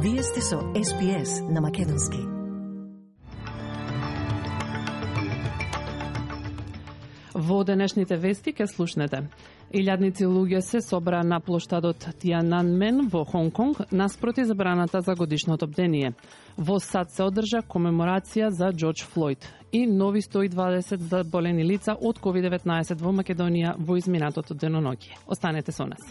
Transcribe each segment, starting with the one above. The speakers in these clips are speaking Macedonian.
Вие сте со SPS на Македонски. Во денешните вести ке слушнете. Илјадници луѓе се собраа на плоштадот Тиананмен во Хонг Конг наспроти забраната за годишното бдение. Во САД се одржа комеморација за Џорџ Флојд и нови 120 заболени лица од COVID-19 во Македонија во изминатото деноноќе. Останете со нас.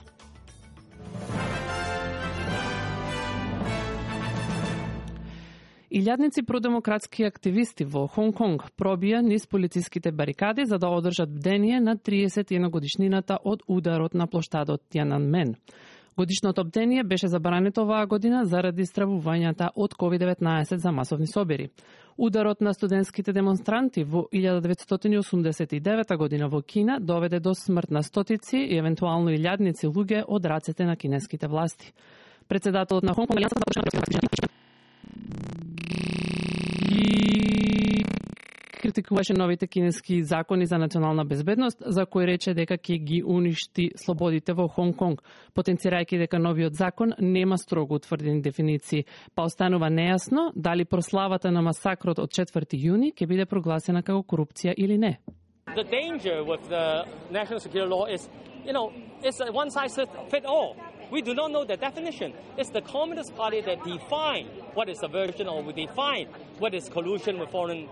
Илјадници продемократски активисти во Хонг Конг пробија низ полициските барикади за да одржат бдение на 31 годишнината од ударот на плоштадот Тиананмен. Годишното бдение беше забрането оваа година заради стравувањата од COVID-19 за масовни собери. Ударот на студентските демонстранти во 1989 година во Кина доведе до смрт на стотици и евентуално илјадници луѓе од рацете на кинеските власти. Председателот на Хонг Конг критикуваше новите кинески закони за национална безбедност, за кои рече дека ќе ги уништи слободите во Хонг Конг, потенцирајќи дека новиот закон нема строго утврдени дефиниции, па останува нејасно дали прославата на масакрот од 4 јуни ќе биде прогласена како корупција или не. The danger with the national security law is, it's a one-size-fits-all. We do not know the definition. It's the Communist Party that define what is subversion or define what is collusion with foreign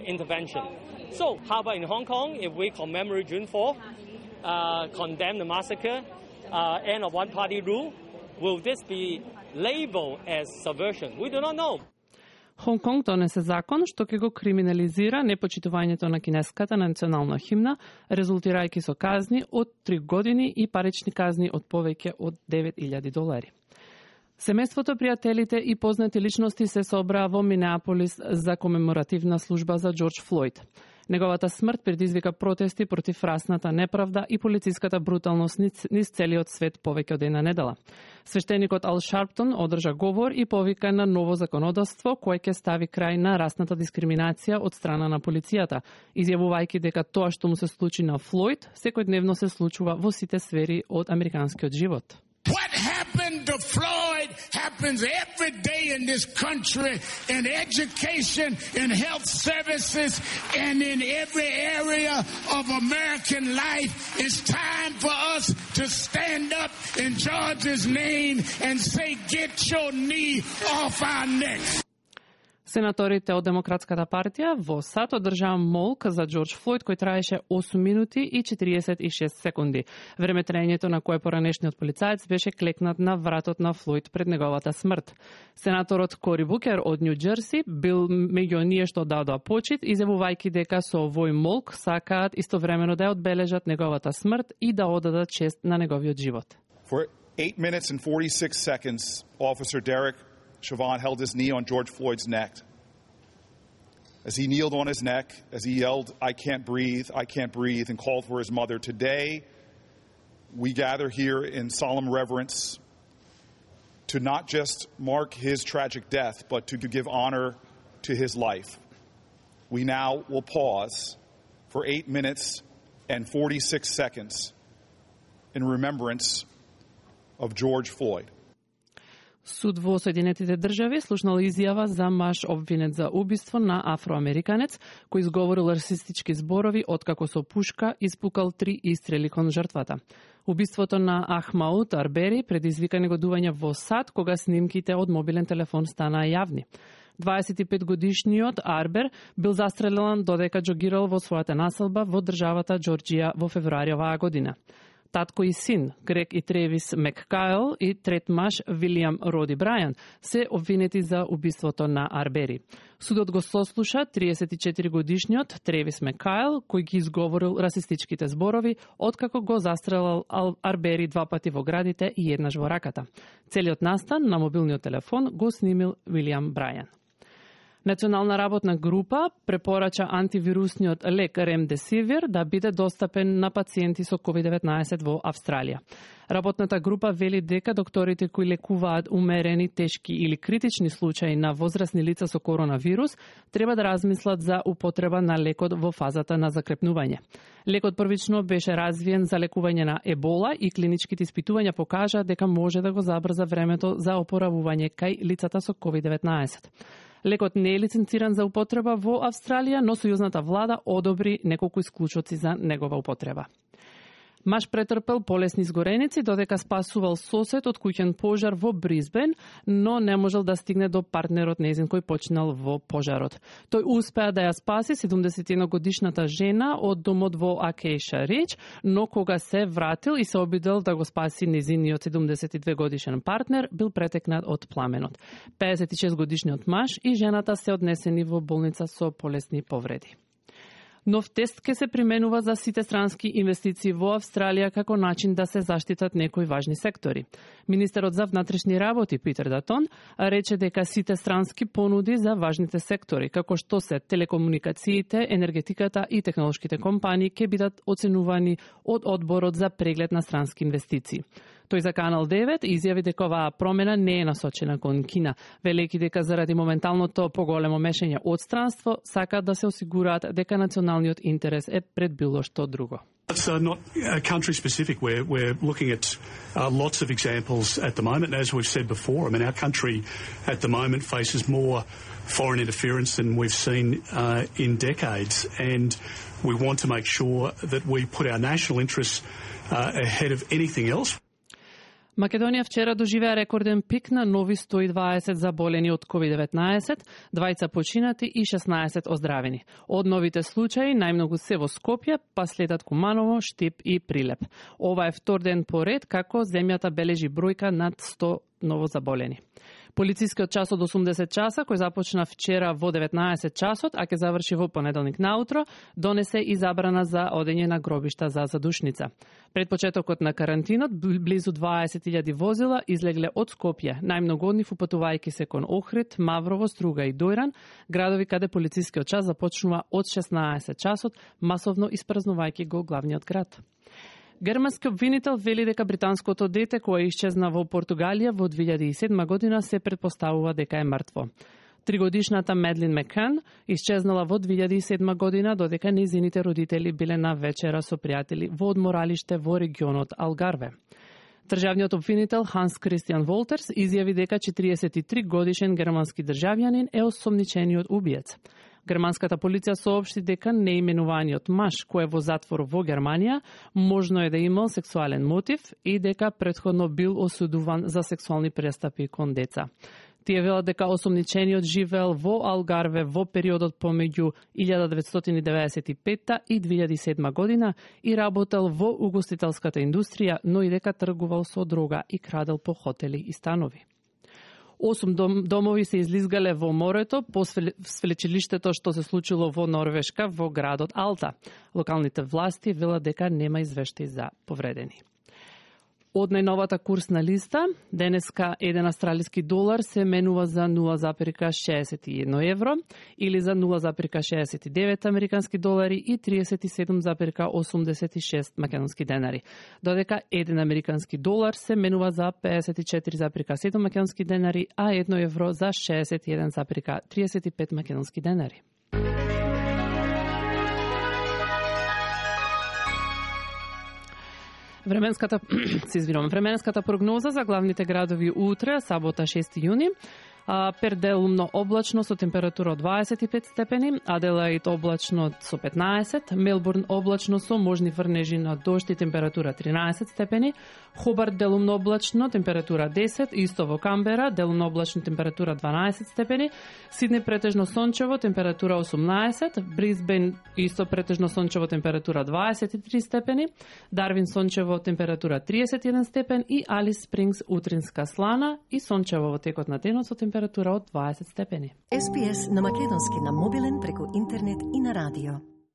intervention. So, how about in Hong Kong, if we commemorate June 4, condemn the massacre, end of one-party rule, will this be labeled as subversion? We do not know. Хонг Конг донесе закон што ќе го криминализира непочитувањето на кинеската национална химна, резултирајќи со казни од 3 години и парични казни од повеќе од $9,000. Семејството, пријателите и познати личности се собраа во Минеаполис за комеморативна служба за Џорџ Флојд. Неговата смрт предизвика протести против расната неправда и полициската бруталност низ целиот свет повеќе од една недела. Свештеникот Ал Шарптон одржа говор и повика на ново законодавство кое ќе стави крај на расната дискриминација од страна на полицијата, изјавувајќи дека тоа што му се случи на Флојд секојдневно се случува во сите сфери од американскиот живот. What happened to Floyd happens every day in this country, in education, in health services, and in every area of American life. It's time for us to stand up in George's name and say, get your knee off our necks. Сенаторите од Демократската партија во САД одржаа молк за Џорџ Флојд кој траеше 8 минути и 46 секунди. Времетраењето на кое поранешниот полицаец беше клекнат на вратот на Флојд пред неговата смрт. Сенаторот Кори Букер од Нью Џерси бил меѓу оние што дадоа почит, изјавувајќи дека со овој молк сакаат истовремено да ја одбележат неговата смрт и да одадат чест на неговиот живот. For 8 minutes and 46 seconds, Officer Derek Chauvin held his knee on George Floyd's neck. As he kneeled on his neck, as he yelled, I can't breathe, and called for his mother. Today, we gather here in solemn reverence to not just mark his tragic death, but to give honor to his life. We now will pause for 8 minutes and 46 seconds in remembrance of George Floyd. Суд во Соединетите држави слушнал изјава за маж обвинет за убиство на афроамериканец кој изговорил расистички зборови откако со пушка испукал 3 истрели кон жртвата. Убиството на Ахмауд Арбери предизвика негодување во САД кога снимките од мобилен телефон станаа јавни. 25-годишниот Арбер бил застрелен додека џогирал во својата населба во државата Џорџија во февруари оваа година. Татко и син, Грег и Тревис Маккайл и трет маж, Вилијам Роди Брајан, се обвинети за убиството на Арбери. Судот го сослуша 34-годишниот Тревис Маккайл, кој ги изговорил расистичките зборови, откако го застрелал Арбери 2 пати во градите и еднаш во раката. Целиот настан на мобилниот телефон го снимил Вилијам Брајан. Национална работна група препорача антивирусниот лек Ремдесивир да биде достапен на пациенти со COVID-19 во Австралија. Работната група вели дека докторите кои лекуваат умерени, тешки или критични случаи на возрастни лица со коронавирус треба да размислат за употреба на лекот во фазата на закрепнување. Лекот првично беше развиен за лекување на ебола и клиничките испитувања покажа дека може да го забрза времето за опоравување кај лицата со COVID-19. Лекот не е лиценциран за употреба во Австралија, но сојузната влада одобри неколку исклучоци за негова употреба. Маж претрпел полесни изгореници додека спасувал сосед од куќен пожар во Брисбен, но не можел да стигне до партнерот нејзин кој починал во пожарот. Тој успеа да ја спаси 71 годишната жена од домот во Акејша Рич, но кога се вратил и се обидел да го спаси нејзиниот 72 годишен партнер, бил претекнат од пламенот. 56 годишниот маж и жената се однесени во болница со полесни повреди. Нов тест ќе се применува за сите странски инвестиции во Австралија како начин да се заштитат некои важни сектори. Министерот за внатрешни работи Питер Датон рече дека сите странски понуди за важните сектори, како што се телекомуникациите, енергетиката и технолошките компании, ќе бидат оценувани од Одборот за преглед на странски инвестиции. Тој за Канал 9 изјави дека оваа промена не е насочена кон Кина, велејќи дека заради моменталното поголемо мешање од странство сакаат да се осигураат дека националниот интерес е пред било што друго. It's not country specific. We're looking at lots of examples at the moment. As we've said before, I mean, our country at the moment faces more foreign interference than we've seen in decades. And we want to make sure that we put our national interests ahead of anything else. Македонија вчера доживеа рекорден пик на нови 120 заболени од COVID-19, 2 починати и 16 оздравени. Од новите случаи најмногу се во Скопје, па следат Куманово, Штип и Прилеп. Ова е втор ден поред како земјата бележи бројка над 100 новозаболени. Полицискиот час од 80 часа, кој започна вчера во 19 часот, а ќе заврши во понеделник наутро, донесе и забрана за одење на гробишта за задушница. Пред почетокот на карантинот, близу 20.000 возила излегле од Скопје, најмногу од нив упатувајќи се кон Охрид, Маврово, Струга и Дојран, градови каде полицискиот час започнува од 16 часот, масовно испразнувајќи го главниот град. Германски обвинител вели дека британското дете кое исчезна во Португалија во 2007 година се претпоставува дека е мртво. 3-годишната Медлин Мекан исчезнала во 2007 година додека нејзините родители биле на вечера со пријатели во одморалиште во регионот Алгарве. Државниот обвинител Ханс Кристијан Волтерс изјави дека 43 годишен германски државјанин е осомничениот убиец. Германската полиција соопшти дека неименуваниот маж кој е во затвор во Германија можно е да имал сексуален мотив и дека претходно бил осудуван за сексуални престапи кон деца. Тие велат дека осомничениот живеел во Алгарве во периодот помеѓу 1995 и 2007 година и работел во угостителската индустрија, но и дека тргувал со дрога и крадел по хотели и станови. 8 домови се излизгале во морето по свлечилиштето што се случило во Норвешка во градот Алта. Локалните власти велат дека нема извештаи за повредени. Од најновата курсна листа, денеска 1 австралиски долар се менува за 0,61 евро или за 0,69 американски долари и 37,86 македонски денари, додека 1 американски долар се менува за 54,7 македонски денари, а 1 евро за 61,35 македонски денари. Временската прогноза за главните градови утре, сабота 6 јуни. Перт делумно облачно со температура од 25 степени, Аделаид облачно со 15, Мелбурн облачно со можни врнежи на дожд и температура 13 степени, Хобарт делумно облачно, температура 10, исто во Камбера, делумно облачно, температура 12 степени, Сиднеј претежно сончево, температура 18, Брисбен исто претежно сончево, температура 23 степени, Дарвин сончево, температура 31 степен и Алис Спрингс утринска слана и сончево во текот на денот со температура од 20 степени. SPS на македонски на мобилен преку интернет и на радио.